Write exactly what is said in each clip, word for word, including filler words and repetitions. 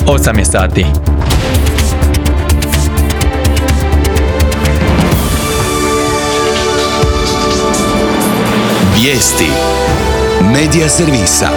osam je sati. Vijesti Medija servisa.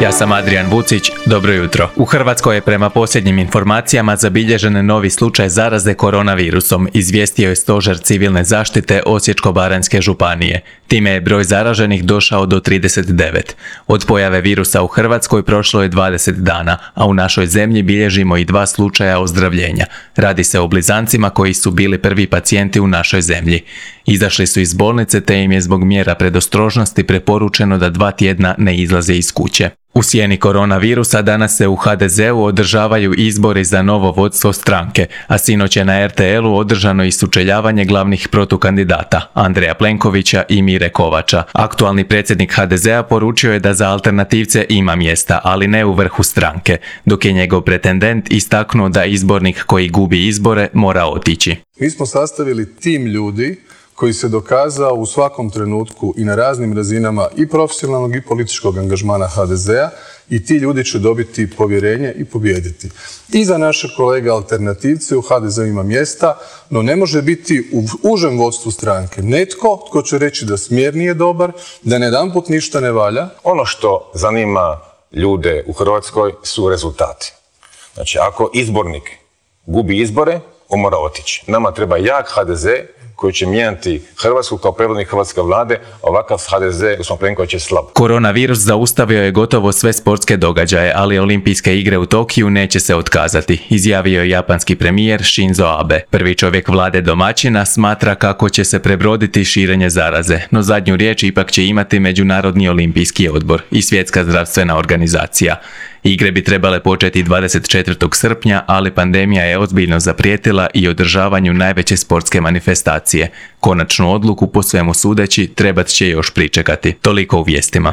Ja sam Adrijan Vucić, dobro jutro. U Hrvatskoj je prema posljednjim informacijama zabilježen novi slučaj zaraze koronavirusom, izvijestio je Stožer civilne zaštite Osječko-baranjske županije. Time je broj zaraženih došao do trideset devet. Od pojave virusa u Hrvatskoj prošlo je dvadeset dana, a u našoj zemlji bilježimo i dva slučaja ozdravljenja. Radi se o blizancima koji su bili prvi pacijenti u našoj zemlji. Izašli su iz bolnice te im je zbog mjera predostrožnosti preporučeno da dva tjedna ne izlaze iz kuće. U sjeni koronavirusa danas se u ha de zeu održavaju izbori za novo vodstvo stranke, a sinoć je na er te el u održano i sučeljavanje glavnih protukandidata, Andreja Plenkovića i Mire Kovača. Aktualni predsjednik ha de zea poručio je da za alternativce ima mjesta, ali ne u vrhu stranke, dok je njegov pretendent istaknuo da izbornik koji gubi izbore mora otići. Mi smo sastavili tim ljudi koji se dokazao u svakom trenutku i na raznim razinama i profesionalnog i političkog angažmana ha de zea i ti ljudi će dobiti povjerenje i pobijediti. I za naše kolege alternativce u ha de zeu ima mjesta, no ne može biti u užem vodstvu stranke netko tko će reći da smjer nije dobar, da jedanput ništa ne valja. Ono što zanima ljude u Hrvatskoj su rezultati. Znači, ako izbornik gubi izbore, on mora otići. Nama treba jak ha de ze koji će mijenjati Hrvatsku kao predvodnik hrvatske vlade, ovakav ha de ze gospodin Plenković je slab. Koronavirus zaustavio je gotovo sve sportske događaje, ali olimpijske igre u Tokiju neće se otkazati, izjavio je japanski premijer Shinzo Abe. Prvi čovjek vlade domaćina smatra kako će se prebroditi širenje zaraze, no zadnju riječ ipak će imati Međunarodni olimpijski odbor i Svjetska zdravstvena organizacija. Igre bi trebale početi dvadeset četvrtog srpnja, ali pandemija je ozbiljno zaprijetila i održavanju najveće sportske manifestacije. Konačnu odluku po svemu sudeći trebat će još pričekati. Toliko u vijestima.